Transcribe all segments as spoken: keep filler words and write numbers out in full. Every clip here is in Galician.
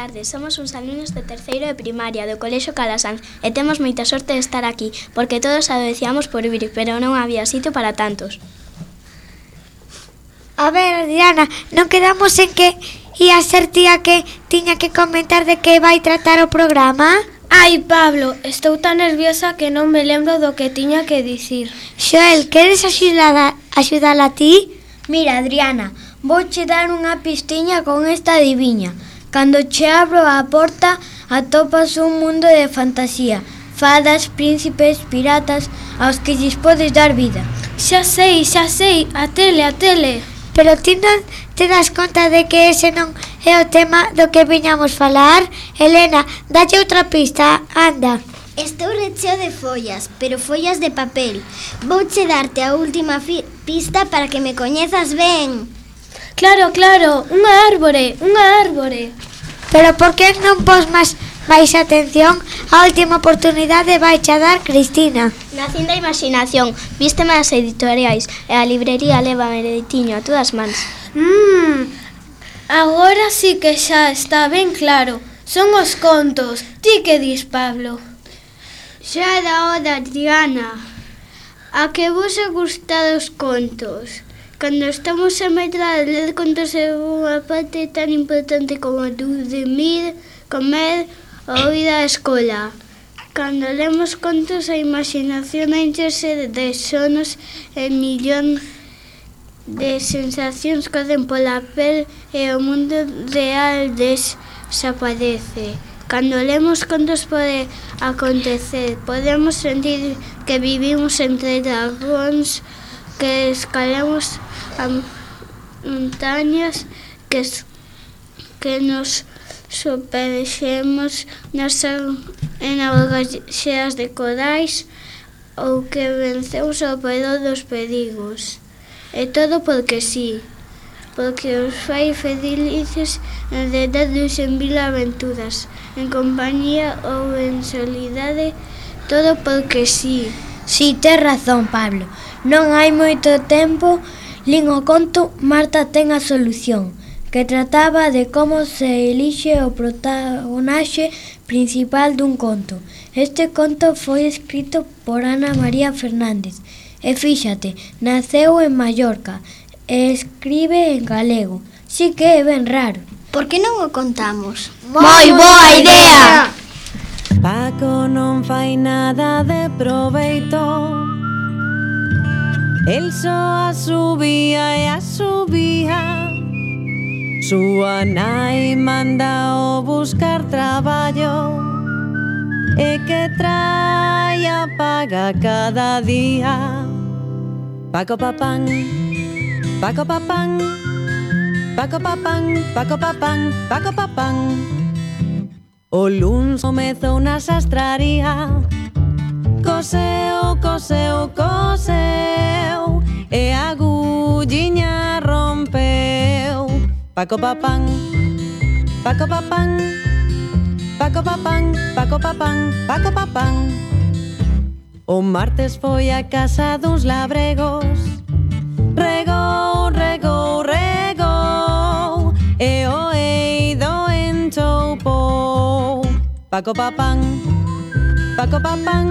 tardes, somos uns alumnos de terceiro de primaria do Colexio Calasanz e temos moita sorte de estar aquí, porque todos adoeciamos por vir, pero non había sitio para tantos. A ver, Diana, non quedamos en que ia ser tía que tiña que comentar de que vai tratar o programa? Ai, Pablo, estou tan nerviosa que non me lembro do que tiña que dicir. Xoel, queres axudala, axudala a ti? Mira, Adriana, vouche dar unha pistiña con esta adiviña. Cando che abro a porta, atopas un mundo de fantasía. Fadas, príncipes, piratas, aos que lles podes dar vida. Xa sei, xa sei, a tele, a tele. Pero ti non te das conta de que ese non é o tema do que viñamos falar? Elena, dalle outra pista, anda. Estou recheo de follas, pero follas de papel. Vouche darte a última pista para que me coñezas ben. Claro, claro, unha árbore, unha árbore. Pero por que non pos máis máis atención? A última oportunidade vai che dar Cristina. Nacín da imaginación, vísteme as editoriais e a librería leva meretiño a todas mans. Mmm, agora sí que xa está ben claro. Son os contos. Ti que dis, Pablo? Xa era hora, Diana. A que vos ha gustado os contos? Cando estamos a medrar, ler contos é unha parte tan importante como dormir, comer ou ir á escola. Cando lemos contos, a imaginación enchese de sonos e millón de sensacións corren pola pel e o mundo real desaparece. Cando lemos contos pode acontecer, podemos sentir que vivimos entre dragóns, que escalamos a montañas, que, que nos superxemos nas en augas xeas de corais ou que vencemos ao peor dos perigos. E todo porque sí, porque os fai felices enredados en mil aventuras, en compañía ou en solidade, todo porque sí. Si, tes razón, Pablo. Non hai moito tempo lin o conto Marta ten a solución, que trataba de como se elixe o protagonaxe principal dun conto. Este conto foi escrito por Ana María Fernández e fíxate, naceu en Mallorca e escribe en galego. Si que é ben raro. Por que non o contamos? Moi boa idea! Paco non fai nada de proveito, el só a subía e a subía. Súa nai manda o buscar traballo e que trai a paga cada día. Paco papán, Paco papán, Paco papán, Paco papán, Paco papán. O luns comezou na sastraría, coseu, coseu, coseu e a agulliña rompeu. Paco papán, Paco papán, Paco papán, Paco papán, Paco papán. O martes foi a casa duns labregos, regou, regou, regou e o eido enchoupou. Paco papán, Paco papán,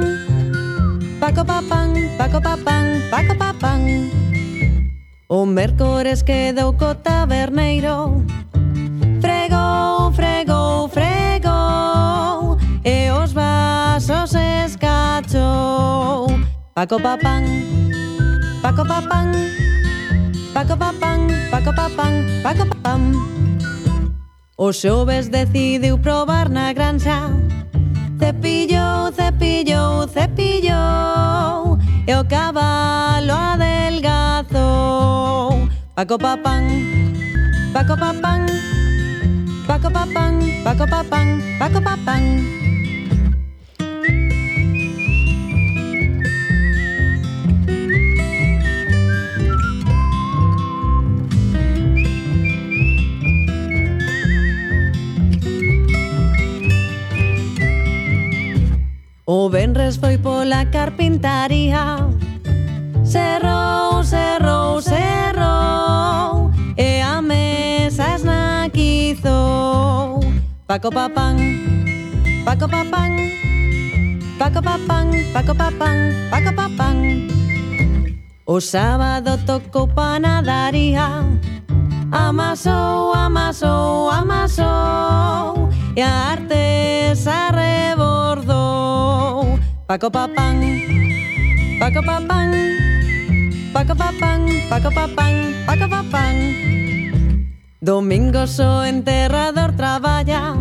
Paco papán, Paco papán, Paco papán. O mércores quedou co taberneiro, fregou, fregou, fregou e os vasos escachou. Paco papán, Paco papán, Paco papán, Paco papán, Paco papán. O xoves decidiu probar na granxa, cepillou, cepillou, cepillou e o cabalo adelgazou. Paco papán, Paco papán, Paco papán, Paco papán, Paco papán. O venres foi pola carpintaría, cerrou, cerrou, cerrou e a mesa esnaquizou. Paco Papán, Paco Papán, Paco Papán, Paco Papán, Paco Papán. O sábado tocou panadaría, amasou, amasou, amasou, e a artesa rebordou. Paco Papán, Paco Papán, Paco Papán, Paco Papán, Paco Papán. Domingos o enterrador traballa,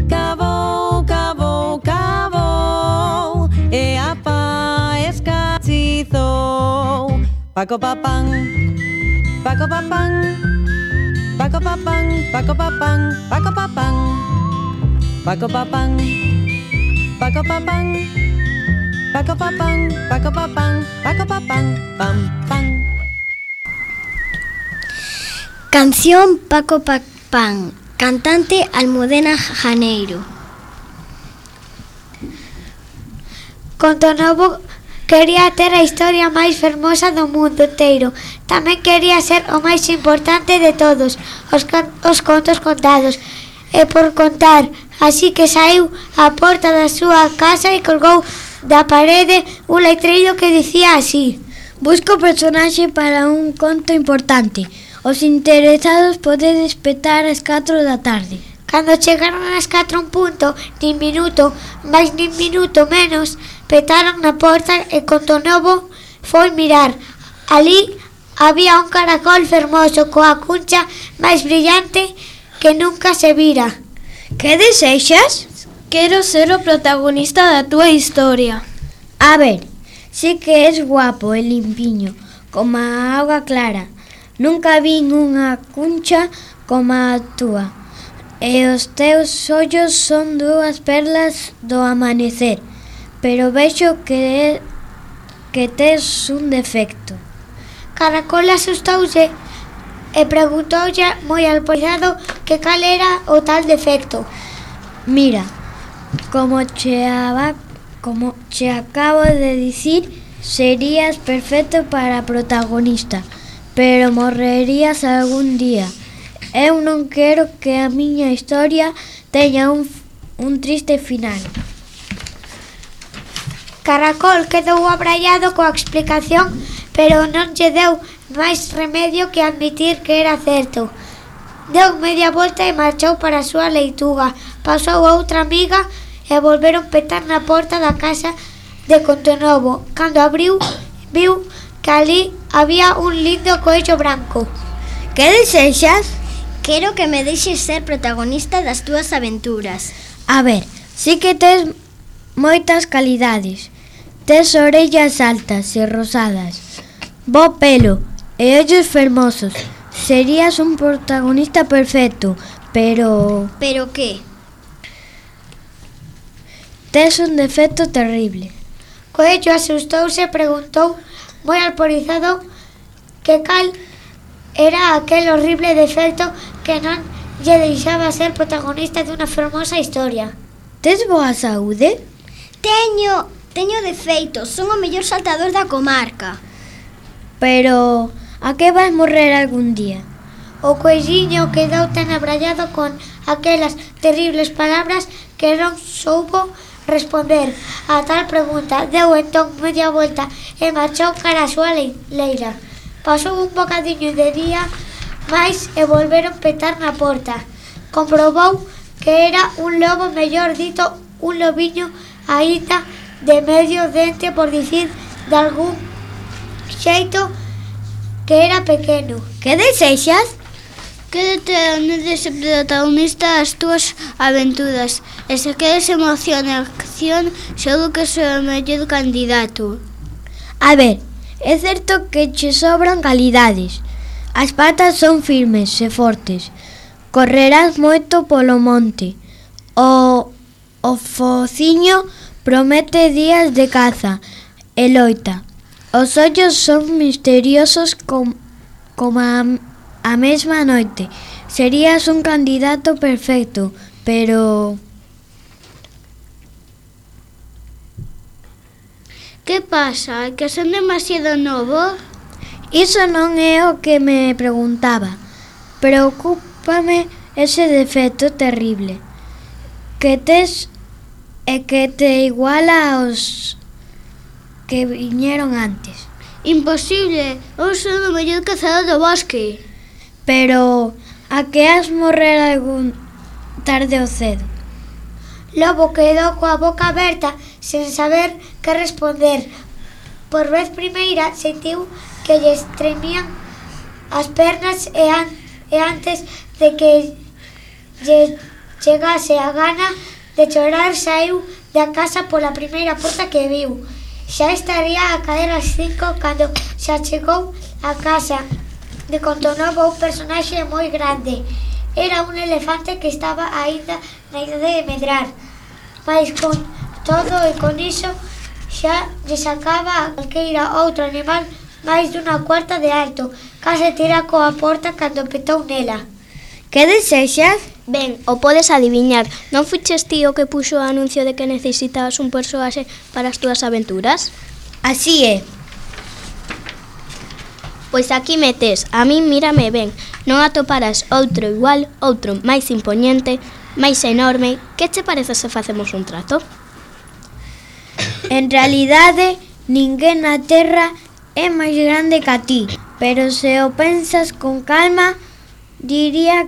cabou, cabou, cabou, e a pa escachizou. Paco Papán, Paco Papán, Paco Papán, Paco Papán, Paco Papán, Paco Papán, Paco Papán, Paco Papán, Paco Papán, Paco Papán, pam, pam. Canción Paco Papán, cantante Almudena Janeiro. Contonovo quería ter a historia máis fermosa do mundo inteiro. Tamén quería ser o máis importante de todos os, os contos contados e por contar. Así que saiu á porta da súa casa e colgou da parede un letreiro que dicía así: busco personaxe para un conto importante. Os interesados podedes petar ás catro da tarde. Cando chegaron ás catro en punto, nin minuto, máis nin minuto menos, petaron na porta e Contonovo foi mirar. Ali había un caracol fermoso coa cuncha máis brillante que nunca se vira. Que desexas? Quero ser o protagonista da túa historia. A ver, si que és guapo e limpiño, como a auga clara. Nunca vin unha cuncha como a túa, e os teus ollos son dúas perlas do amanecer, pero vexo que, que tes un defecto. Caracol asustouse e preguntoulle moi alporizado que cal era o tal defecto. Mira, como che, aba, como che acabo de dicir, serías perfecto para protagonista, pero morrerías algún día. Eu non quero que a miña historia teña un, un triste final. Caracol quedou abraiado coa explicación, pero non lle deu máis remedio que admitir que era certo. Deu media volta e marchou para a súa leituga. Pasou outra amiga e volveron petar na porta da casa de Contonovo. Cando abriu, viu que ali había un lindo coello branco. Que desexas? Quero que me deixes ser protagonista das túas aventuras. A ver, si que tes moitas calidades. Tes orellas altas e rosadas, bo pelo e ollos fermosos. Serías un protagonista perfecto, pero... Pero que? Tes un defecto terrible. Coello asustouse e preguntou moi alporizado que cal era aquel horrible defecto que non lle deixaba ser protagonista dunha fermosa historia. Tes boa saúde? Teño, teño defeitos, son o mellor saltador da comarca. Pero a que vas morrer algún día? O coelliño quedou tan abrallado con aquelas terribles palabras que non soubo responder a tal pregunta. Deu entón media volta e marchou cara a súa leira. Pasou un bocadiño de día máis e volveron petar na porta. Comprobou que era un lobo, mellor dito, un lobiño aínda de medio dente, por dicir de algún xeito, que era pequeno. Que desexas? Quédate onde ser protagonista das túas aventuras e se queres emoción e acción, seguro que sou o mellor candidato. A ver, é certo que che sobran calidades. As patas son firmes e fortes. Correrás moito polo monte. O, o fociño promete días de caza e loita. Os ollos son misteriosos com, como a, a mesma noite. Serías un candidato perfecto, pero... Que pasa? Que son demasiado novo? Iso non é o que me preguntaba. Preocúpame ese defecto terrible. que tes e que te iguala aos que viñeron antes. Imposible, eu son o mellor cazador do bosque. Pero a que has morrer algún tarde ou cedo? Lobo quedou coa boca aberta sen saber que responder. Por vez primeira sentiu que lle tremían as pernas e, an e antes de que lle chegase a gana de chorar saiu da casa pola primeira porta que viu. Xa estaría a caer as cinco cando xa chegou a casa de Contonovo un personaxe moi grande. Era un elefante que estaba aínda na idade de medrar, mas con todo e con iso xa lle sacaba a calqueira outro animal máis dunha cuarta de alto. Case tira coa porta cando petou nela. Que desexas? Ben, o podes adiviñar. Non fuches ti o que puxo o anuncio de que necesitabas un persoaxe para as túas aventuras? Así é. Pois aquí metes, a min mírame ben. Non atoparás outro igual, outro máis impoñente, máis enorme. Que che parece se facemos un trato? En realidade, ninguén na terra é máis grande que a ti, pero se o pensas con calma, diría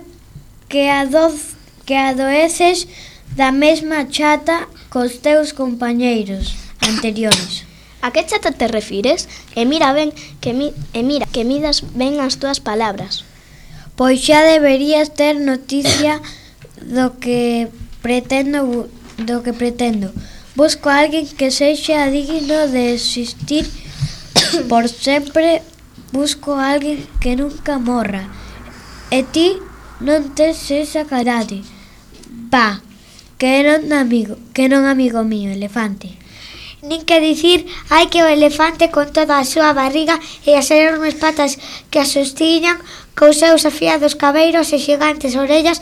que, adoz, que adoeces da mesma chata cos teus compañeiros anteriores. A que chata te refires? E mira ben que mi, e mira que midas ben as túas palabras. Pois xa deberías ter noticia do que pretendo do que pretendo. Busco a alguén que sexa digno de existir por sempre. Busco a alguén que nunca morra. E ti non tes esa carade. Va, que non amigo, que non amigo mío, elefante. Nin que dicir hai que o elefante con toda a súa barriga e as enormes patas que a sostiñan cos seus afiados cabeiros e xigantes orellas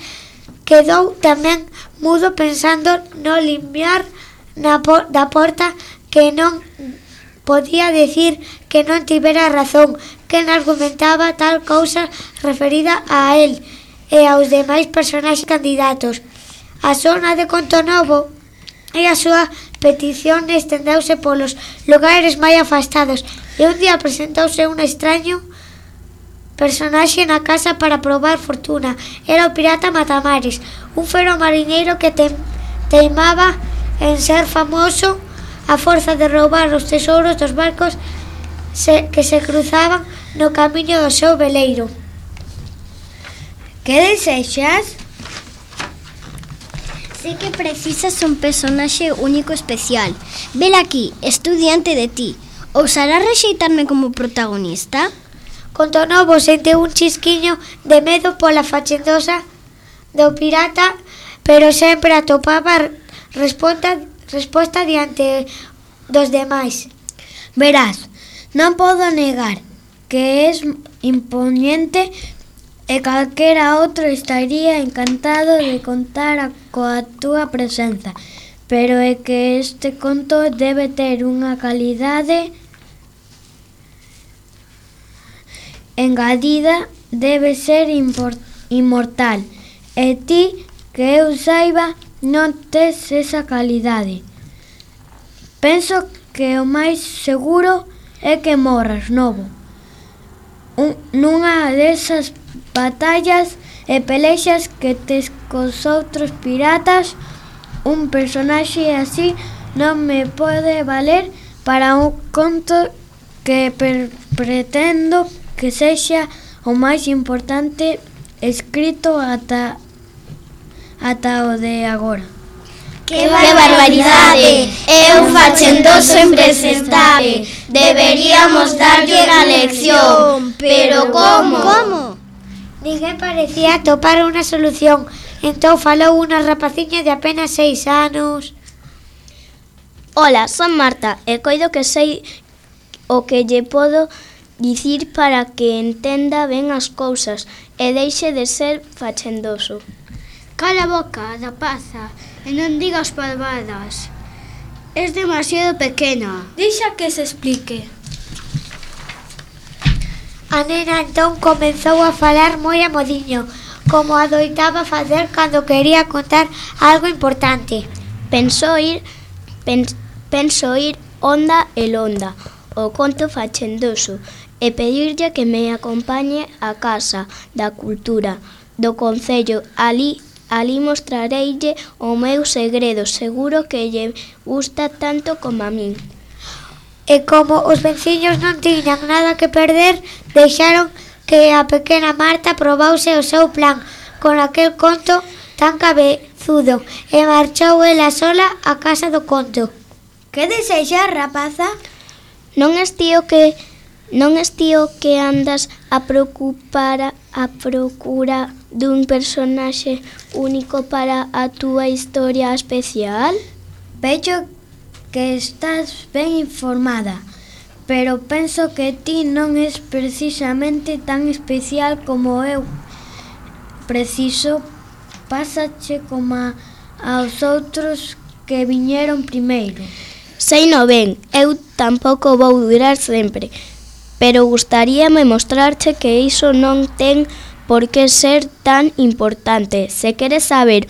quedou tamén mudo pensando no limiar na por da porta que non podía decir que non tivera razón, que non argumentaba tal cousa referida a él e aos demais personaxes candidatos. A zona de Contonovo e a súa petición estendeuse polos lugares máis afastados e un día presentouse un extraño personaxe na casa para probar fortuna. Era o pirata Matamares, un fero mariñeiro que te, teimaba en ser famoso a forza de roubar os tesouros dos barcos se, que se cruzaban no camiño do seu veleiro. Que desexas? Sei que precisas un personaxe único especial. Vela aquí, estou diante de ti. Ousarás rexeitarme como protagonista? Contonovo sentiu un chisquiño de medo pola fachendosa do pirata, pero sempre atopaba resposta, resposta diante dos demais. Verás, non podo negar que és imponente e calquera outro estaría encantado de contar a, coa túa presenza, pero é que este conto debe ter unha calidade engadida, debe ser impor, inmortal, e ti, que eu saiba, non tes esa calidade. Penso que o máis seguro é que morras, novo. Un, nunha desas batallas e pelexas que tes cos outros piratas, un personaxe así non me pode valer para un conto que per, pretendo que sexa o máis importante escrito ata, ata o de agora. ¡Qué barbaridade! É un fachendoso impresentable. Deberíamos darlle a lección. Pero como? Como? Ninguén parecía atopar unha solución. Entón falou unha rapaciña de apenas seis anos. Ola, son Marta e coido que sei o que lle podo dicir para que entenda ben as cousas e deixe de ser fachendoso. Cala a boca, rapaza, e non digas parvadas. Es demasiado pequena. Deixa que se explique. A nena entón comezou a falar moi a modiño, como adoitaba facer cando quería contar algo importante. Penso ir, pen, penso ir onda e londa, o conto fachendoso, e pedirlle que me acompañe á Casa da Cultura do Concello. Ali, ali mostrareille o meu segredo, seguro que lle gusta tanto como a min. E como os veciños non tiñan nada que perder, deixaron que a pequena Marta probause o seu plan con aquel conto tan cabezudo e marchou ela sola á casa do conto. Que desexa, rapaza? Non es tío que non es tío que andas a preocupar a procura dun personaxe único para a túa historia especial? Vexo que estás ben informada, pero penso que ti non es precisamente tan especial como eu. Preciso pásache como a, aos outros que viñeron primeiro. Sei no ben, eu tampouco vou durar sempre, pero gustaríame mostrarche que iso non ten por que ser tan importante. Se queres saber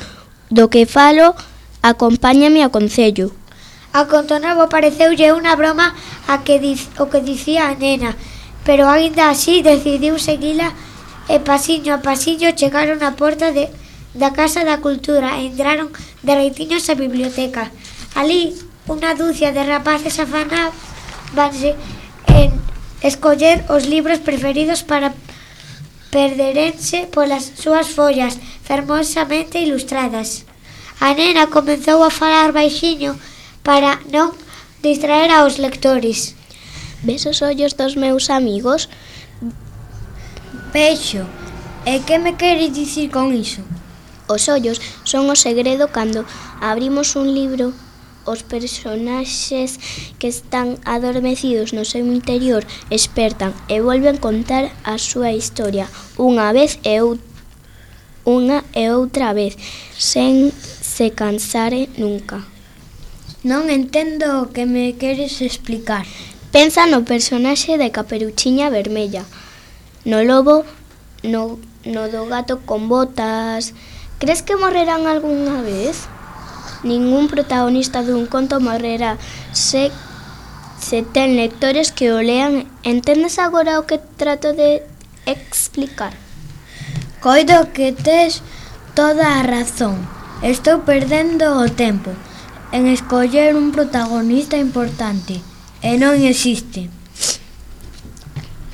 do que falo, acompáñame ao concello. A Contonovo pareceulle unha broma a que diz, o que dicía a nena, pero aínda así decidiu seguila e pasiño a pasiño chegaron á porta de, da Casa da Cultura e entraron dereitiños á biblioteca. Ali, unha dúcia de rapaces afanábanse en escoller os libros preferidos para perderense polas súas follas fermosamente ilustradas. A nena comezou a falar baixiño para non distraer aos lectores. Ves os ollos dos meus amigos? Vexo. E que me queres dicir con iso? Os ollos son o segredo cando abrimos un libro. Os personaxes que están adormecidos no seu interior espertan e volven contar a súa historia unha vez e outra, unha e outra vez, sen se cansare nunca. Non entendo o que me queres explicar. Pensa no personaxe de Caperuchiña Vermella, no lobo, no, no do gato con botas. Crees que morrerán algunha vez? Ningún protagonista dun conto morrerá se, se ten lectores que o lean. Entendes agora o que trato de explicar? Coido que tes toda a razón. Estou perdendo o tempo en escoller un protagonista importante e non existe.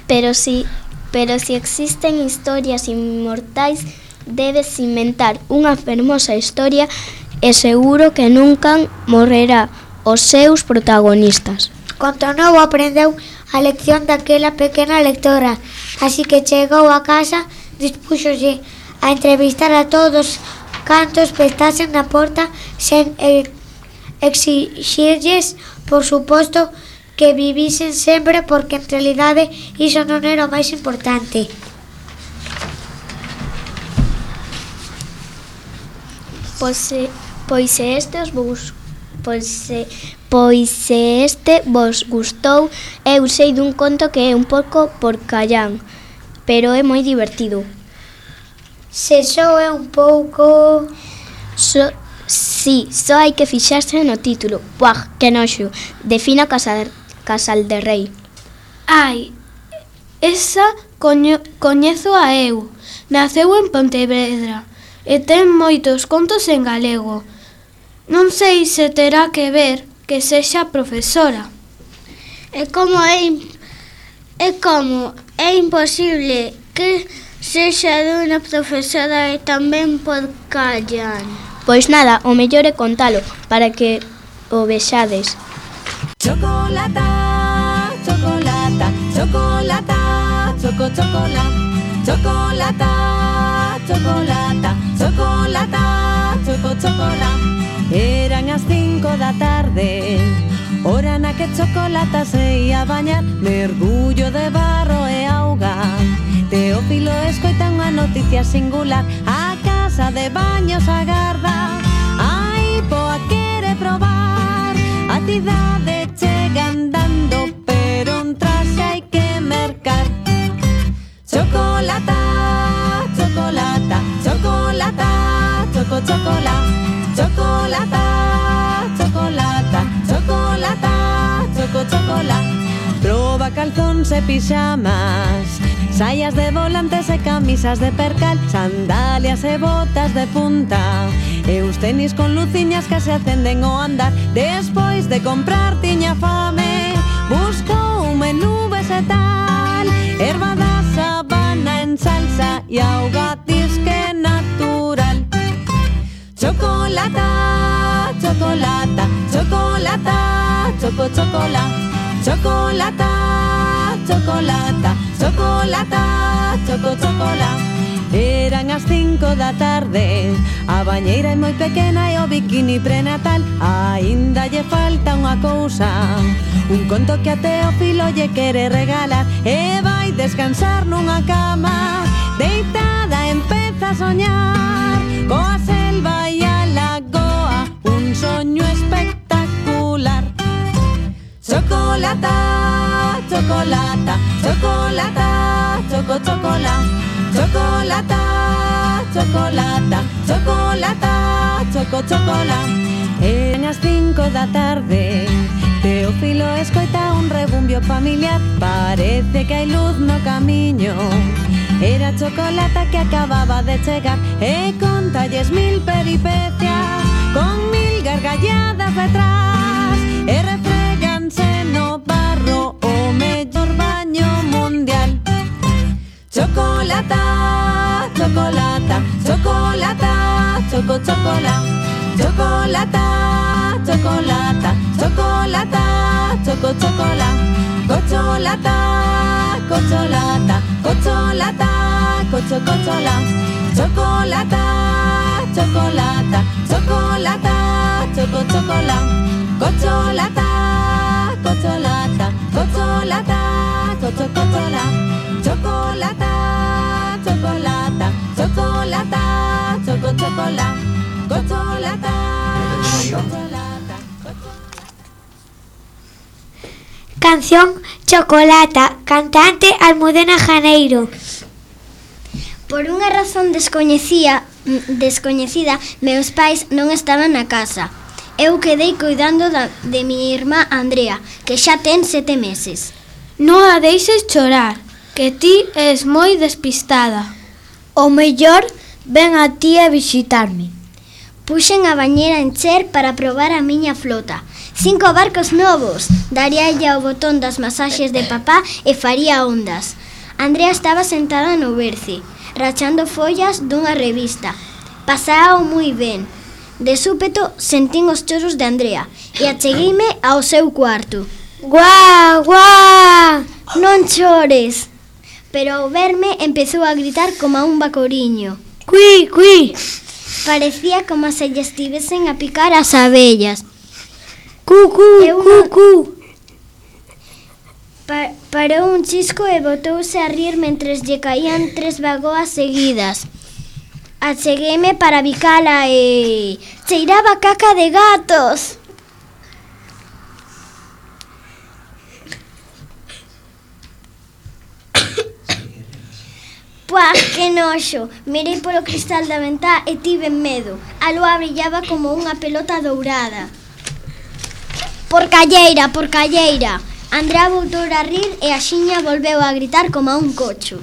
Pero si, pero si existen historias inmortais, debes inventar unha fermosa historia e seguro que nunca morrerá os seus protagonistas. Contonovo aprendeu a lección daquela pequena lectora, así que chegou a casa, dispúxose a entrevistar a todos cantos pestasen na porta sen exixirlles, por suposto, que vivisen sempre, porque en realidade iso non era o máis importante. Pois se, pois se este os vos, pois se, pois se este vos gustou, eu sei dun conto que é un pouco porcallán, pero é moi divertido. Se só é un pouco... So, si, só hai que fixarse no título. Buah, que noxo. Defina Casal, Casal de Rei. Ai, esa coño, coñezo a eu. Naceu en Pontevedra e ten moitos contos en galego. Non sei se terá que ver que sexa profesora. É como é, é como é imposible que sexa dunha profesora e tamén porcallán. Pois nada, o mellor é contalo para que o vexades. Chocolata, chocolata, chocolata, choco, chocolata, chocolata, chocolata, chocolata, choco, chocolata. Eran as cinco da tarde, hora na que Chocolata se ia bañar, mergullo de barro e auga. Teófilo escoita unha noticia singular, a casa de baños agarda. Ai, poa quere probar, a cidade chega andando, pero un traxe hai que mercar. Chocolata, chocolata, choco, chocolá, chocolata, chocolata, chocolata, choco, chocolá. Proba calzóns e pixamas, saias de volantes e camisas de percal, sandalias e botas de punta, e uns tenis con luciñas que se acenden ao andar. Despois de comprar tiña fame, buscou un menú vegetal, erva da sabana en salsa e auga disque natural. Chocolata, chocolata, chocolata, choco, chocolá, chocolata, chocolata, chocolata, choco, chocolá. Eran as cinco da tarde, a bañeira é moi pequena e o bikini prenatal. Aínda lle falta unha cousa, un conto que a Teófilo lle quere regalar, e vai descansar nunha cama, deitada empeza a soñar, coa selva e a lagoa, un soño espectacular. Chocolata, chocolata, chocolata, choco, chocolá, chocolata, chocolata, chocolata, choco, chocolá. Eran as cinco da tarde, Teófilo escoita un rebumbio familiar, parece que hai luz no camiño. Era Chocolata que acababa de chegar e contalles mil peripecias, con mil gargalladas detrás, e refreganse no barro o mellor baño mundial. Chocolata, chocolata, chocolata, choco, chocolá, chocolata, chocolata, chocolata, choco, chocolá, cocholata, cocholata, cocholata, cocho, cocholá, chocolata, chocolata, chocolata, choco, chocolá, cocholata, cocholata, cocholata, cocho, cocholá, chocolata, chocolata, chocolata, choco, chocolá, cocholata, cocholata. Canción Chocolata, cantante Almudena Janeiro. Por unha razón descoñecida, descoñecida, meus pais non estaban na casa. Eu quedei cuidando da, de mi irmá Andrea, que xa ten sete meses. Non a deixes chorar, que ti és moi despistada. O mellor ven a ti a visitarme. Puxen a bañera en encher para probar a miña flota. Cinco barcos novos. Daríalle ao botón das masaxes de papá e faría ondas. Andrea estaba sentada no berce, rachando follas dunha revista. Pasao moi ben. De súpeto sentín os choros de Andrea e achegueime ao seu cuarto. Guau, guau! Non chores. Pero ao verme empezou a gritar como a un bacoriño. Cui, cui! Parecía como se lle estivesen a picar as abellas. Cu, cu, cu, cu! Pa parou un chisco e botouse a rir mentres lle caían tres bagoas seguidas. Achegueime para bicala e... cheiraba caca de gatos. Puá, que noxo! Mirei polo cristal da ventá e tive medo. A lúa brillaba como unha pelota dourada. Porcalleira, porcalleira! Andrea voltou a rir e a xiña volveu a gritar como a un cocho.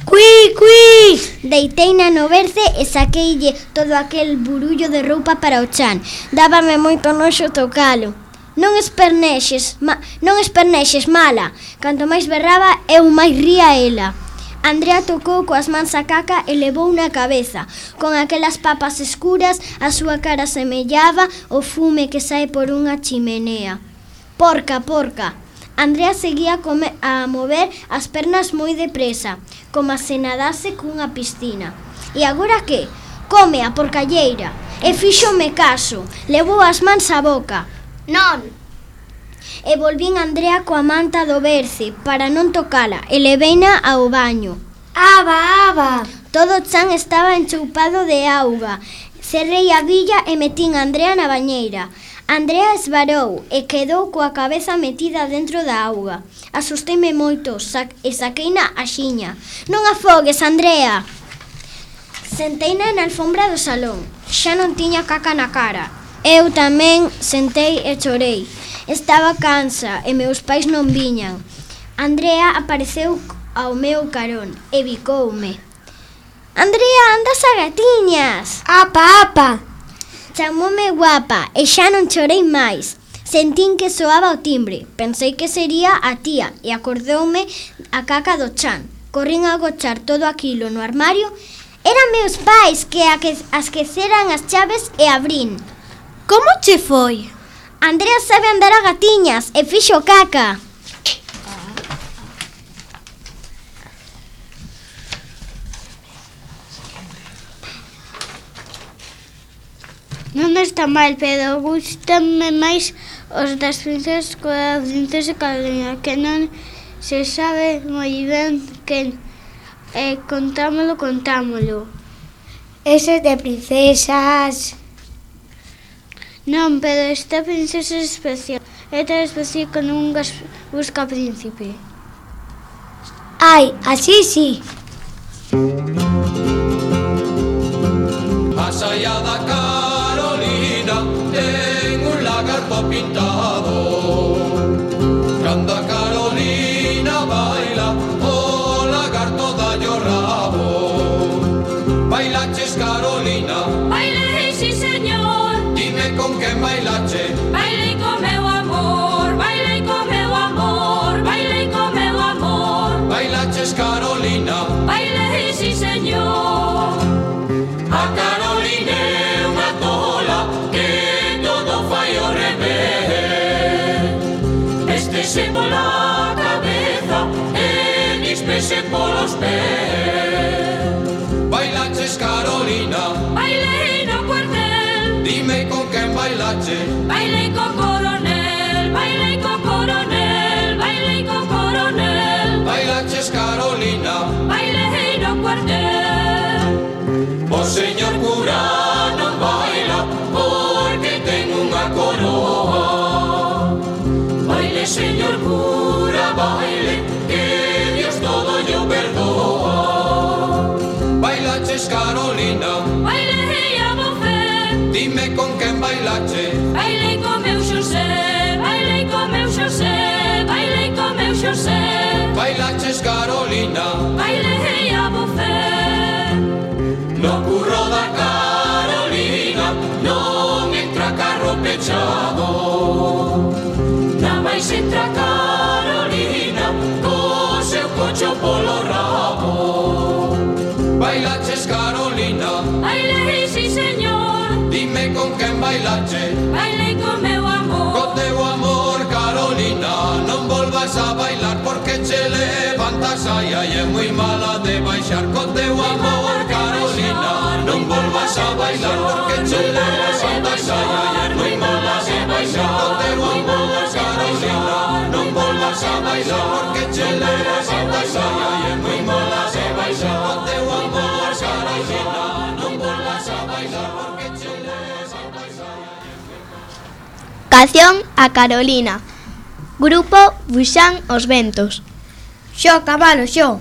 Cui, cui! Deiteina no berce e saqueille todo aquel burullo de roupa para o chan. Dábame moito noxo tocalo. Non espernexes, ma, non espernexes, mala. Canto máis berraba, eu máis ría ela. Andrea tocou coas mans a caca e levou na cabeza. Con aquelas papas escuras, a súa cara semellaba o fume que sae por unha chimenea. Porca, porca! Andrea seguía a mover as pernas moi depresa, como se nadase cunha piscina. E agora que? Come a porcalleira. E fíxome caso. Levou as mans á boca. Non! E volvín Andrea coa manta do berce para non tocala e leveina ao baño. Aba, aba! Todo o chan estaba enchoupado de auga. Cerrei a billa e metín a Andrea na bañeira. Andrea esvarou e quedou coa cabeza metida dentro da auga. Asusteime moito sac e saqueina a xiña. Non afogues, Andrea! Senteina na alfombra do salón. xa non tiña caca na cara. Eu tamén sentei e chorei. Estaba cansa e meus pais non viñan. Andrea apareceu ao meu carón e bicoume. Andrea, andas a gatiñas. Apa, apa. Chamoume guapa e xa non chorei máis. Sentín que soaba o timbre. Pensei que sería a tía e acordoume a caca do chan. Corrín a agochar todo aquilo no armario. Eran meus pais que esqueceran as chaves e abrín. Como che foi? Andrea sabe andar a gatiñas e fixo caca. Non está mal, pero gústame máis os das princesas coa princesa Carolina, que non se sabe moi ben quen. E contámolo, contámolo. Ese de princesas. Non, pero esta princesa é especial. É tan especial que non busca príncipe. Ai, así sí. Más allá da Carolina ten un lagarto pintado. Cando a Carolina baila, o lagarto dallo rabo. Bailaches, Carolina? Bailei, sí señor. Dime con quen bailache. Bailei co meu amor, bailei co meu amor, bailei co meu amor. Bailaches, Carolina? Bailei, sí señor. A Carolina é unha tola que todo fai ao revés. Véstese pola cabeza e víspese polos pés. Bailaches, Carolina? Bailei no cuartel. Dime con quen bailache. Bailei co coronel, bailei co coronel, bailei co coronel. Bailaches, Carolina? Bailei no cuartel. O señor cura non baila porque ten unha coroa. Baile, señor cura, baile, que Dios todo yo perdoa. Bailaches, Carolina? Bailei a bofé. Dime con quen bailache. Bailei co meu Xosé, bailei co meu Xosé, bailei co meu Xosé. Bailaches, Carolina? Bailei a bofé. No curro da Carolina non entra carro pechado. Na máis entra Carolina co seu cocho polo rabo. Bailaches, Carolina? Bailei, sí señor. Dime con quen bailache. Bailei co meu amor. Co teu amor, Carolina, non volvas a bailar porque che levantas ai ai é moi mala de baixar. Co teu amor, Carolina, non volvas a bailar porque che levantas ai ai é moi mala de baixar. Co teu amor, Carolina, non volvas a bailar porque che levantas ai ai é moi mala de baixar. Co teu amor, Carolina, non volvas a bailar porque che levantas ai ai. Canción a Carolina. Grupo Buxán os Ventos. Xo, cabalo, xo.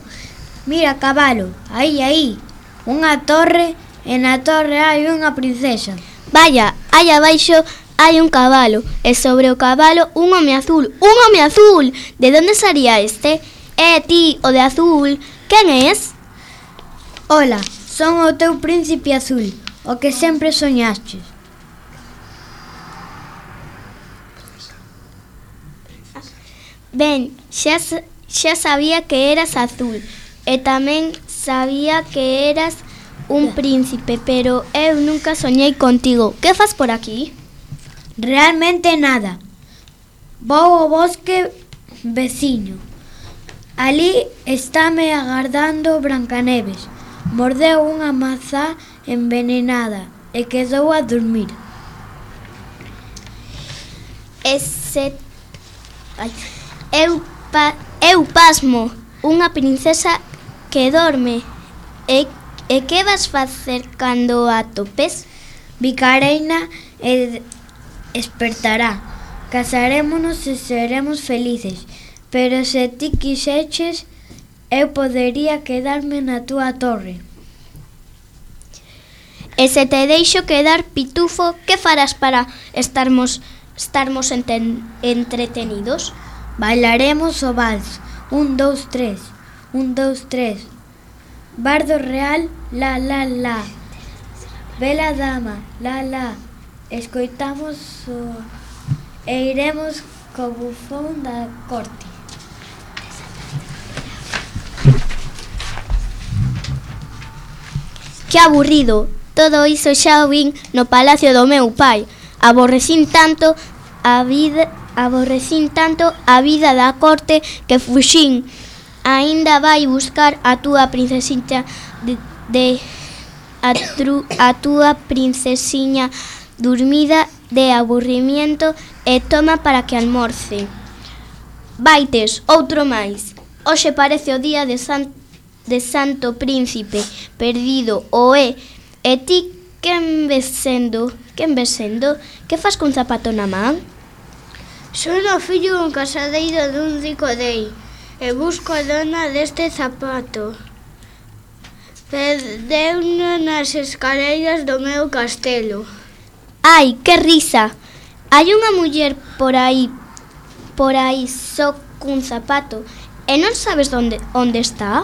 Mira, cabalo, aí, aí. Unha torre e na torre hai unha princesa. Vaya, aí abaixo hai un cabalo e sobre o cabalo un home azul. Un home azul! De onde sería este? É ti, o de azul. Quen és? Ola, son o teu príncipe azul, o que sempre soñaches. Ben, xa, xa sabía que eras azul e tamén sabía que eras un príncipe, pero eu nunca soñei contigo. Que fas por aquí? Realmente nada. Vou ao bosque veciño. Ali estáme agardando Brancaneves. Mordeu unha mazá envenenada e quedou a dormir. Ese... Ai. Eu, pa... eu pasmo. Unha princesa que dorme. E, e que vas facer cando a topes? Bicareina e espertará. Casarémonos e seremos felices. Pero se ti quixeches, eu podería quedarme na túa torre. E se te deixo quedar pitufo, que farás para estarmos estarmos enten, entretenidos? Bailaremos o vals. Un, dous, tres. Un, dous, tres. Bardo real, la, la, la. Bela dama, la, la. Escoitamos o... e iremos co bufón da corte. Que aburrido. Todo iso xa o vin no palacio do meu pai. Aborrecín tanto a vida, aborrecín tanto a vida da corte que fuxín. Aínda vai buscar a túa princesiña de, de a, tru, a túa princesiña dormida de aburrimiento e toma para que almorce. Vaites, outro máis. Hoxe parece o día de, san, de Santo Príncipe perdido o é. E ti quen ves sendo? Quen ves sendo? Que fas cun zapato na man? Son o fillo dun casadeiro dun rico rei e busco a dona deste zapato. Perdeuno nas escaleiras do meu castelo. Ai, que risa! Hai unha muller por aí, por aí só cun zapato e non sabes onde, onde está?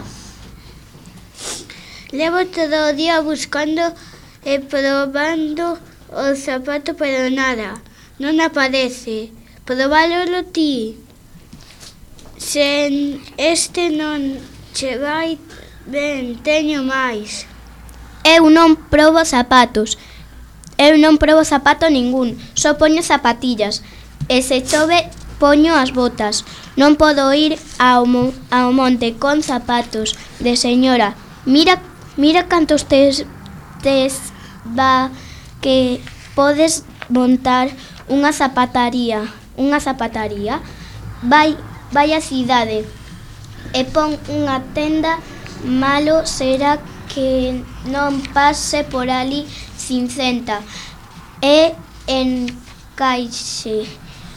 Levo todo o día buscando e probando o zapato, pero nada, non aparece. Probállolo ti. Se este non che vai ben, teño máis. Eu non probo zapatos. Eu non probo zapato ningún. Só poño zapatillas. E se chove, poño as botas. Non podo ir ao, mo- ao monte con zapatos de señora. Mira Mira cantos tes, tes va que podes montar unha zapataría, unha zapataría. Vai, vai á cidade e pon unha tenda, malo será que non pase por ali sin centa e encaixe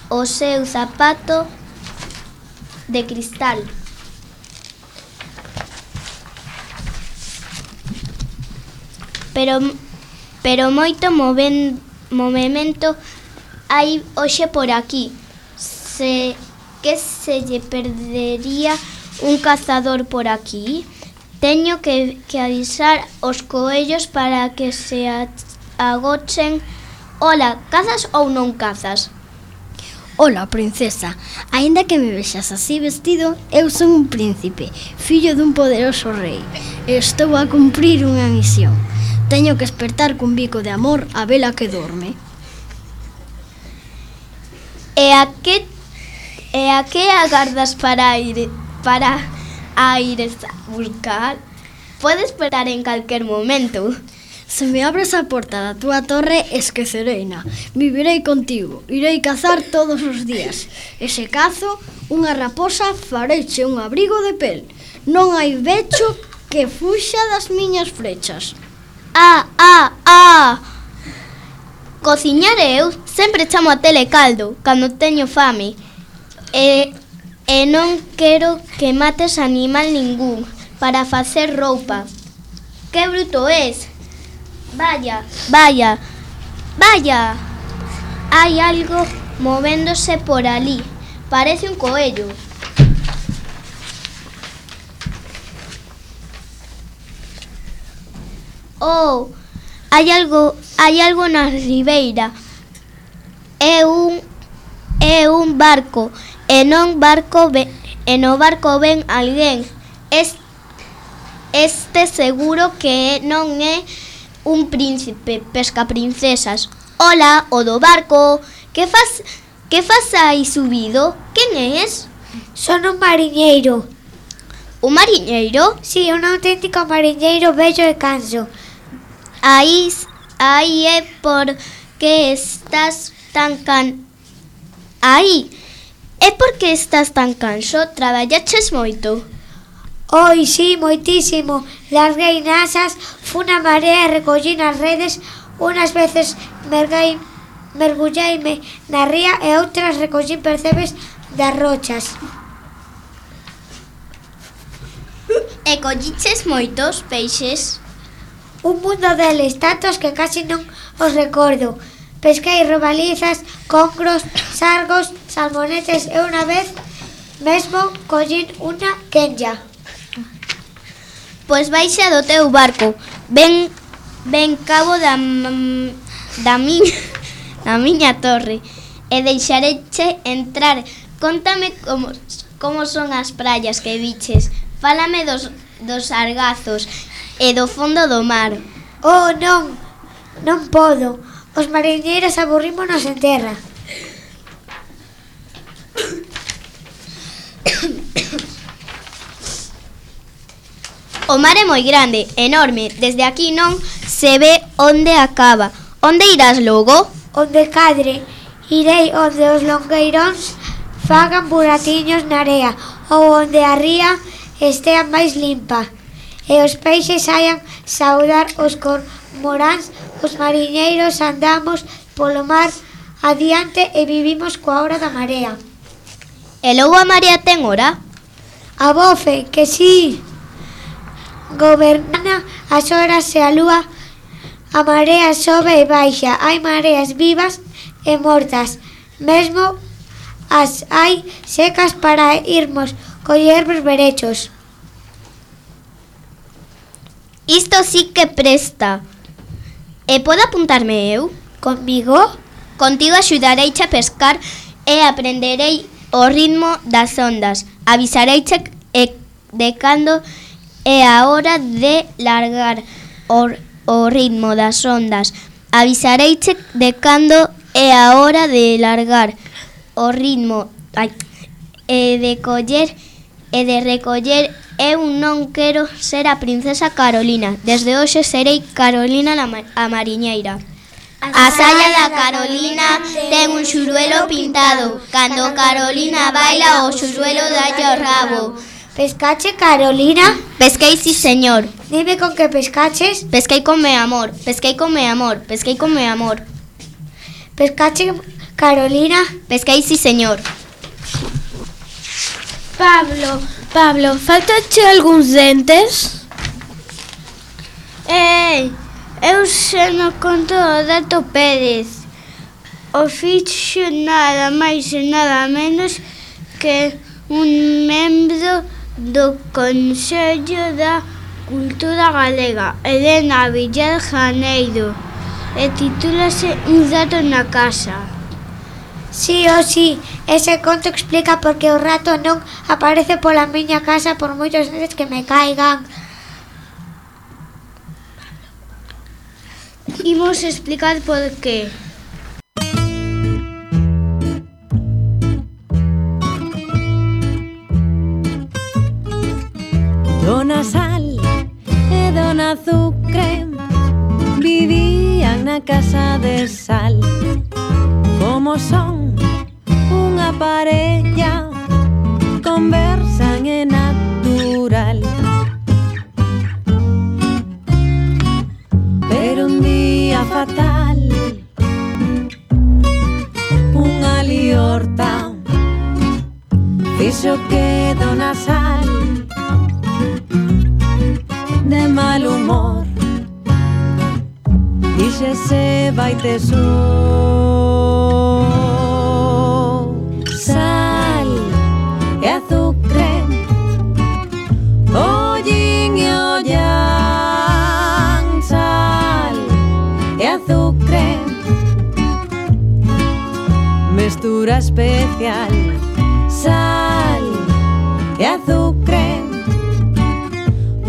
o seu zapato de cristal. Pero pero moito moven, movemento hai hoxe por aquí. Se que se lle perdería un cazador por aquí? Teño que, que avisar os coellos para que se agochen. Ola, cazas ou non cazas? Ola, princesa, aínda que me vexas así vestido, eu son un príncipe, fillo dun poderoso rei, e estou a cumprir unha misión. Teño que espertar cun bico de amor a vela que dorme. E a que e a que agardas para ir para a ires a buscar? Podes esperar en calquer momento. Se me abres a porta da túa torre, esquecereina. Vivirei contigo, irei cazar todos os días. E se cazo unha raposa, fareiche un abrigo de pel. Non hai becho que fuxa das miñas flechas. Ah, ah, ah! Cociñar eu sempre chamo a tele caldo cando teño fame. E, e non quero que mates animal ningún para facer roupa. Que bruto es! Vaya, vaya, vaya! Hai algo movéndose por ali. Parece un coello. Oh, hai algo, hai algo na ribeira. É un é un barco, e non barco ve, e no barco ven alguén. Es, este seguro que non é un príncipe pesca princesas. Hola, o do barco. Que faz que faz aí subido? Quen és? Son un mariñeiro. Un mariñeiro? Sí, un auténtico mariñeiro bello e canso. Aí, aí é por que estás tan can... Aí, é porque estás tan canso? Traballaches moito? Oi, sí, moitísimo. Larguei nasas, fun a marea e recollín as redes. Unas veces merguei, mergulleime na ría e outras recollín percebes das rochas. E colliches moitos peixes? Un mundo deles, tantos que casi non os recordo. Pesquei robalizas, congros, sargos, salmonetes e unha vez mesmo collín unha quenlla. Pois baixa do teu barco, ven, ven cabo da, da, miña, da miña torre e deixareche entrar. Contame como, como son as praias que viches, fálame dos, dos sargazos e do fondo do mar. Oh, non, non podo. Os mariñeiros aburrímonos en terra. O mar é moi grande, enorme, desde aquí non se ve onde acaba. Onde irás logo? Onde cadre, irei onde os longueiróns fagan buratiños na area ou onde a ría estea máis limpa e os peixes saian saudar os cormoráns. Os mariñeiros andamos polo mar adiante e vivimos coa hora da marea. E logo a marea ten hora? A bofe, que si. Gobernana as horas e a lúa, a marea sobe e baixa, hai mareas vivas e mortas, mesmo as hai secas para irmos coller berberechos. Isto sí que presta. E podo apuntarme eu? Conmigo? Contigo axudareiche a pescar e aprenderei o ritmo das ondas. Avisareiche de cando é a hora de largar o, o ritmo das ondas. Avisareiche de cando é a hora de largar o ritmo ai, e de coller e de recoller. Eu non quero ser a princesa Carolina. Desde hoxe serei Carolina a mariñeira. A saia da Carolina ten un xuruelo pintado. Cando Carolina baila, o xuruelo dalle o rabo. Pescache, Carolina? Pesquei, si, señor. Dime con que pescaches. Pesquei con me amor, pesquei con me amor, pesquei con me amor. Pescache, Carolina? Pesquei, si, señor. Pablo, Pablo, faltache algúns dentes? Ei, eu xe non conto o Dato Pérez. O fixo nada máis e nada menos que un membro do Consello da Cultura Galega, Elena Villar Janeiro, e titúlase Un rato na casa. Sí, oh sí, ese conto explica por que o rato non aparece pola miña casa por moitos veces que me caigan. Imos explicar por qué. Dona Sal e Dona Azucre vivían na casa de sal. Como son unha parella, conversan é natural. Pero un día fatal, unha liorta fixo que Dona Sal de mal humor díxese vai tesor. Sal e azucre ollín e ollan. Sal e azucre, mestura especial. Sal e azucre,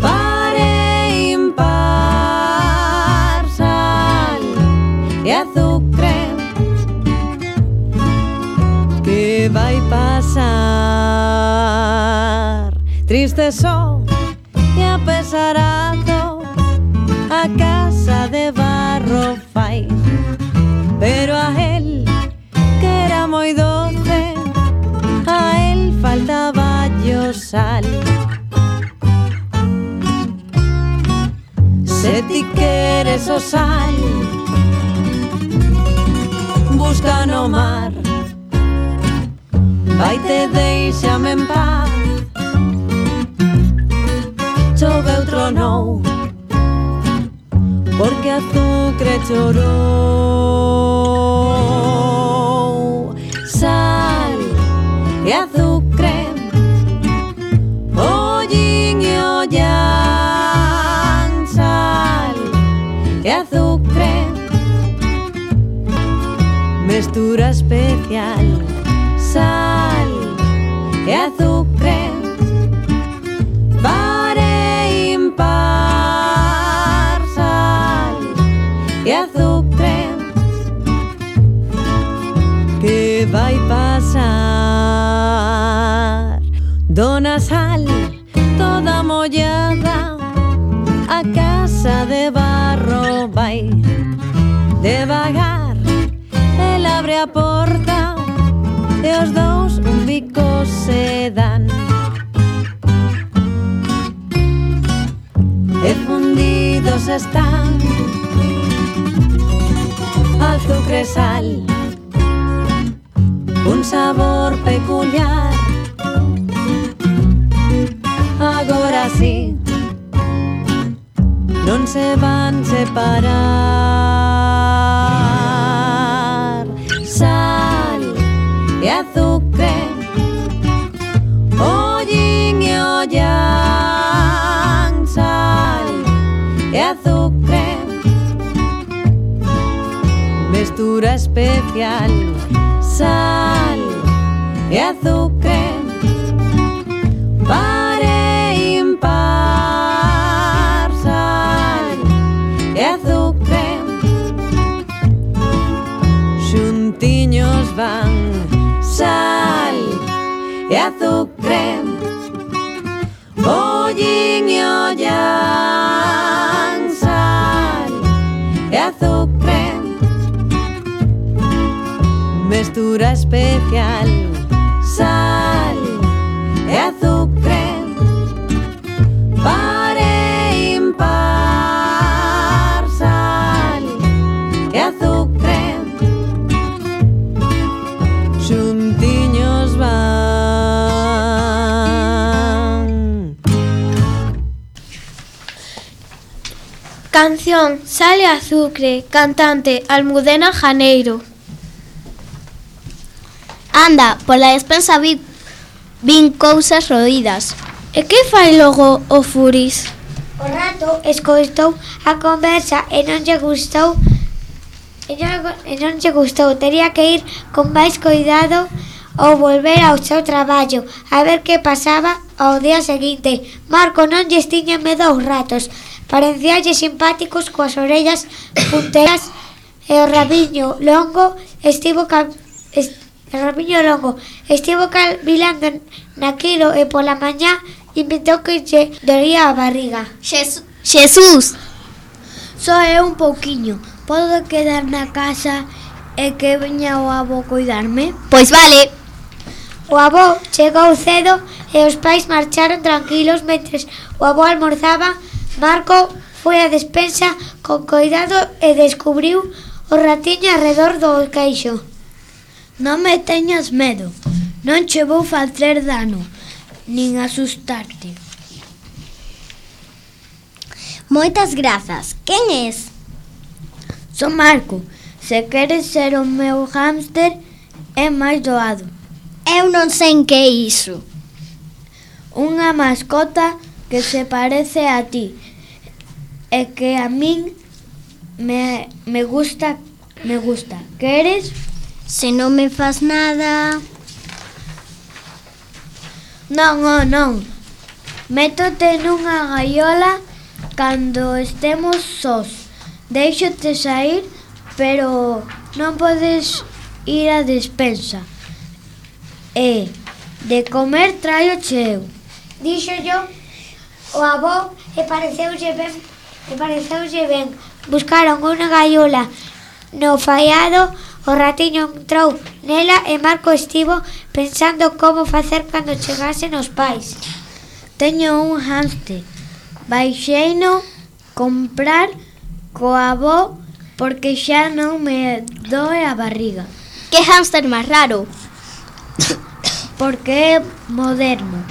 par e impar. Sal e azucre, que vai pasar? Triste só e apesarado a casa de barro fai, pero a él, que era moi doce, a él faltaba yo sal. Se ti queres o sal, busca no mar, vaite, deixame en paz. Choveu, tronou, azucre chorou. Sal e azucre, ollín e ollan. Sal e azucre, mestura especial. Sal e azucre, par e impar. Sal e azucre, que vai pasar? Dona Sal, toda mollada, a casa de barro vai. Devagar, el abre a porta e os dous un bico se dan. E fundidos están azucre e sal, un sabor peculiar. Agora sí, non se van separar. Sal e azucre, ollín e ollan. Sal e azucre, mestura especial. Sal e azucre, par e impar. Sal e azucre, xuntiños van. Sal e azucre, ollín e ollan. Sal e azucre, mestura especial. Sal e azucre, par e impar. Sal e azucre, xuntiños van. Canción Sal e azucre, cantante Almudena Janeiro. Anda, pola despensa vi, vin cousas roídas. E que fai logo o Furis? O rato escoitou a conversa e non lle gustou e non, e non lle gustou. Tería que ir con máis cuidado ou volver ao seu traballo a ver que pasaba ao día seguinte. Marco non lles tiña medo aos ratos, parecíalle simpáticos coas orellas punteras e o rabiño longo estivo ca, est, o rabiño longo estivo calvilando naquilo e pola mañá inventou que lle dolía a barriga. Xes, Xesús! Só é un pouquiño. Podo quedar na casa e que veña o avó cuidarme? Pois vale. O avó chegou cedo e os pais marcharon tranquilos mentres o avó almorzaba. Marco foi á despensa con cuidado e descubriu o ratiño arredor do queixo. Non me teñas medo, non che vou facer dano, nin asustarte. Moitas grazas. Quen és? Son Marco, se queres ser o meu hámster é máis doado. Eu non sei en que é iso. Unha mascota que se parece a ti e que a min me, me gusta, me gusta. Queres? Se non me faz nada... Non, oh, non. Métote nunha gaiola cando estemos sós. Deixote sair, pero non podes ir á despensa. E de comer traio cheo. Dixo yo o avó e pareceulle ben, e pareceulle ben. Buscaron unha gaiola no faiado. O ratiño entrou nela e Marco estivo pensando como facer cando chegasen os pais. Teño un hámster. Baixeino comprar co avó porque xa non me doe a barriga. Que hámster máis raro. Porque é moderno.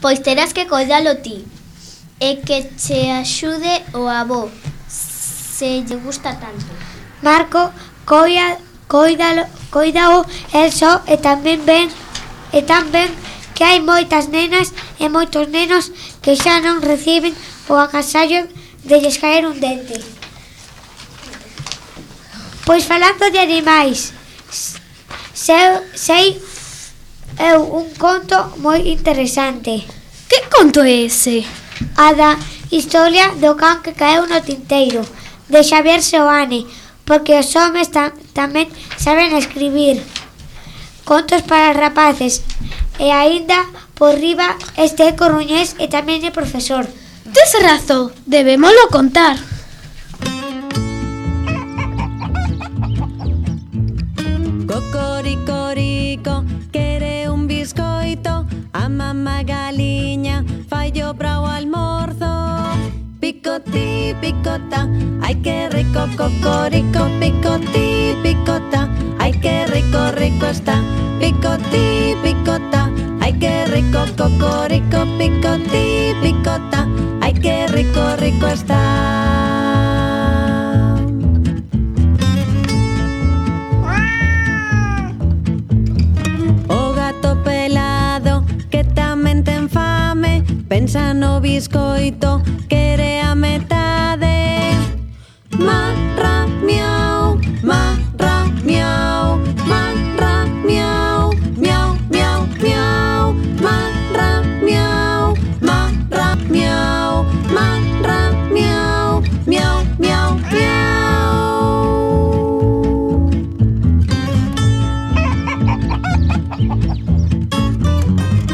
Pois terás que coidalo ti. E que che axude o avó, se lle gusta tanto. Marco coida, coidalo, coidao el só e tamén ven e tamén que hai moitas nenas e moitos nenos que xa non reciben o agasallo de lles caer un dente. Pois falando de animais, sei, sei eu un conto moi interesante. Que conto é ese? A da historia do can que caeu no tinteiro, de Xavier Seoane, porque os homes tam, tamén saben escribir contos para rapaces, e aínda por riba este é coruñés e tamén é profesor. Tes razón, debémolo contar. Cocoricorico, quere un biscoito, a mamá galiña fallo para o almorzo. Picotí, picota, ai que rico, cocorico, picotí, picota, ai que rico, rico está. Picotí, picota, ai que rico, cocorico, picotí, picota, ai que rico, rico está. Pensa no biscoito, quere a metade. Marra, miau, marra, miau, marra, miau, miau, miau, miau, marra, miau, marra, miau, marra, miau, miau, miau, miau.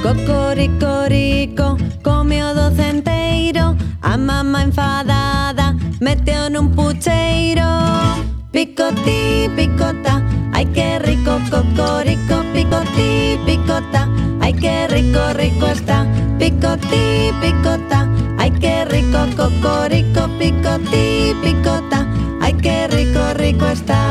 Cocoricorico, come o docenteiro, a mamá enfadada meteo nun pucheiro. Picotí, picota, ai que rico, cocorico, picotí, picota, ai que rico, rico está. Picotí, picota, ai que rico, cocorico, picotí, picota, ai que rico, rico está.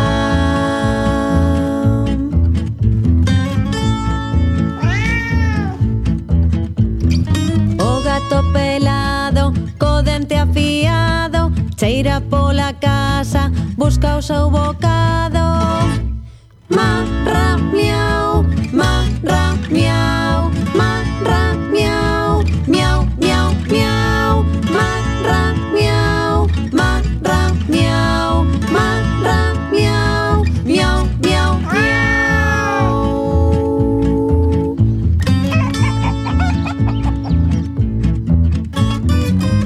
Pelado, co dente afiado, cheira pola casa, busca o seu bocado. Marra, miau, marra, miau, marra, miau, miau, miau, miau, marra, miau, marra, miau, marra, miau, miau, miau, miau.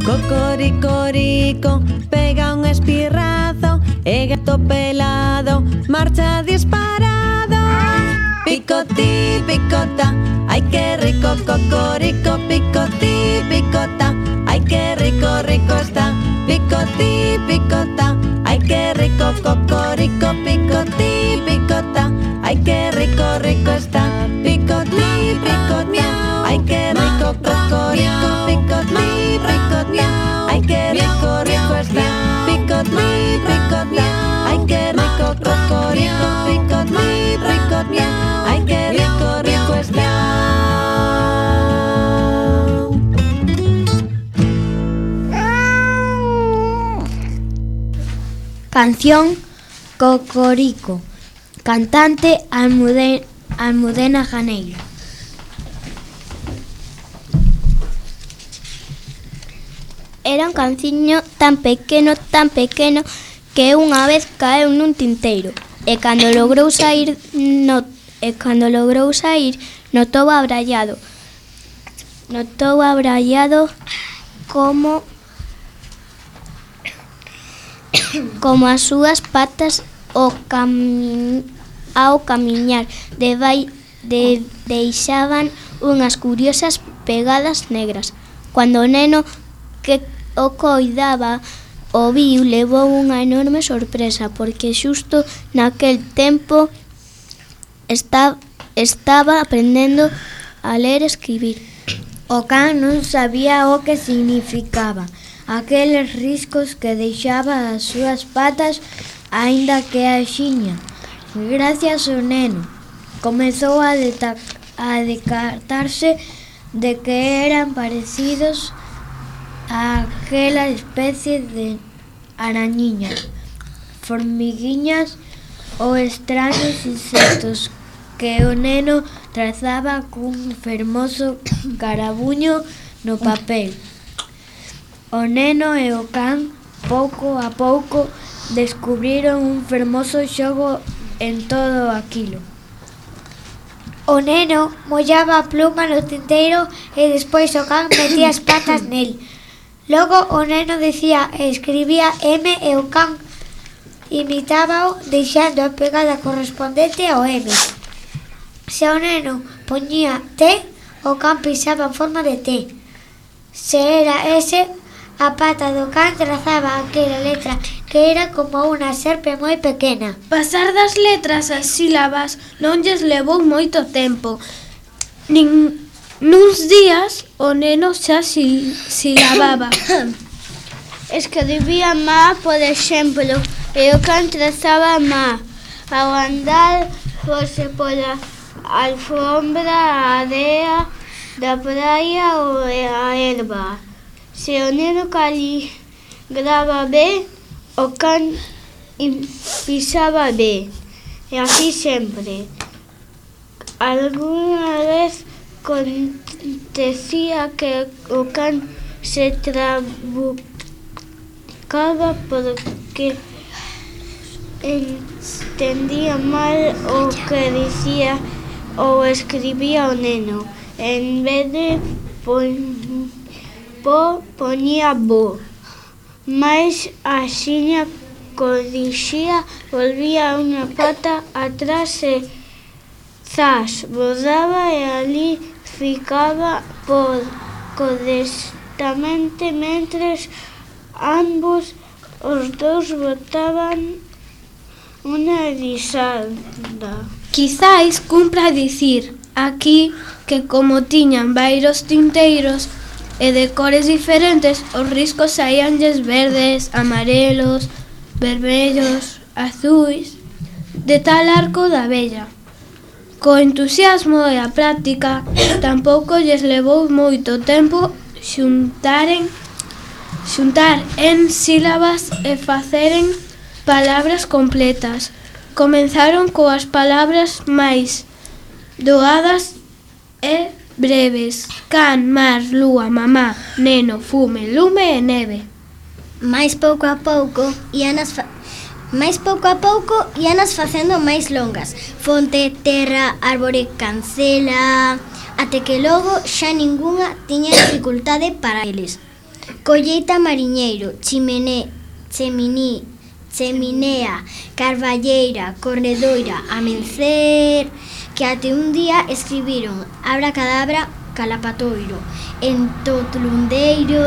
Cocoricorico, pega un espirrazo, e gato pelado marcha disparado. Picotí, picota, ai que rico, cocorico, picotí, picota, ai que rico, rico está. Picotí, picota, ai que rico, cocorico, picotí, picota, ai que rico, rico está. Picotí, picota, ai que rico, cocorico, picotí, picota, ai que rico, rico está. Picotí, picota, ai que rico, cocorico, picotí, picota, ai que rico, rico está. Canción Cocorico. Cantante Almudena, Almudena Janeiro. Era un canciño tan pequeno, tan pequeno, que unha vez caeu nun tinteiro. E cando logrou sair, no, e cando logrou sair, notou abrallado. Notou abrallado como como as súas patas o cami, ao camiñar de, de, deixaban unhas curiosas pegadas negras. Cando o neno que o coidaba o viu, levou unha enorme sorpresa, porque xusto naquel tempo está, estaba aprendendo a ler e escribir. O can non sabía o que significaba aqueles riscos que deixaba as súas patas, aínda que axiña. Gracias ao neno, comezou a, a decatarse de que eran parecidos a aquela especie de arañiñas, formiguiñas ou extraños insectos que o neno trazaba cun fermoso carabuño no papel. O neno e o can, pouco a pouco, descubriron un fermoso xogo en todo aquilo. O neno mollaba a pluma no tinteiro e despois o can metía as patas nel. Logo o neno dicía e escribía M e o can imitábao deixando a pegada correspondente ao M. Se o neno poñía T, o can pisaba en forma de T. Se era S, a pata do can trazaba aquela letra que era como unha serpe moi pequena. Pasar das letras ás sílabas non lles levou moito tempo. Nin, nuns días o neno xa sil, silababa. Escribía má, por exemplo, e o can trazaba má. Ao andar fose pola alfombra, a area da praia ou a erva. Se o neno caligraba B, o can pisaba B. E así sempre. Alguna vez acontecía que o can se trabucaba porque entendía mal o que dicía ou escribía o neno. En vez de pon, po, poñía bo. Mais axiña corrixía, volvía unha pata atrás e zas, bordaba e ali ficaba por correctamente mentres ambos os dous botaban unha risada. Quizais cumpra dicir aquí que como tiñan varios tinteiros e de cores diferentes, os riscos saíanlles verdes, amarelos, vermellos, azuis, de tal arco da abella. Co entusiasmo e a práctica, tampouco lles levou moito tempo xuntaren, xuntar en sílabas e faceren palabras completas. Comenzaron coas palabras máis doadas e breves: can, mar, lúa, mamá, neno, fume, lume e neve. Mais pouco a pouco íanas fa... máis pouco a pouco íanas facendo máis longas. Fonte, terra, árbore, cancela, até que logo xa ningunha tiña dificultade para eles. Colleita, mariñeiro, chimené, cheminí, cheminea, carballeira, corredoira, amencer, que até un día escribiron abracadabra, calapatoiro, entotlundeiro,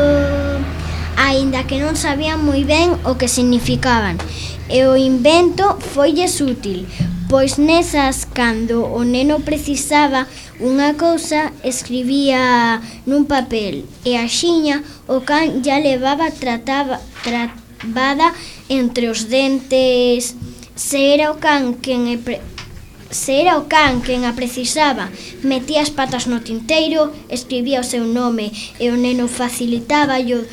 aínda que non sabían moi ben o que significaban. E o invento foilles útil, pois nesas, cando o neno precisaba unha cousa, escribía nun papel e axiña o can ya levaba trataba, trabada entre os dentes. Se era o can quen e pre... Se era o can quen a precisaba, metía as patas no tinteiro, escribía o seu nome e o neno facilitaba o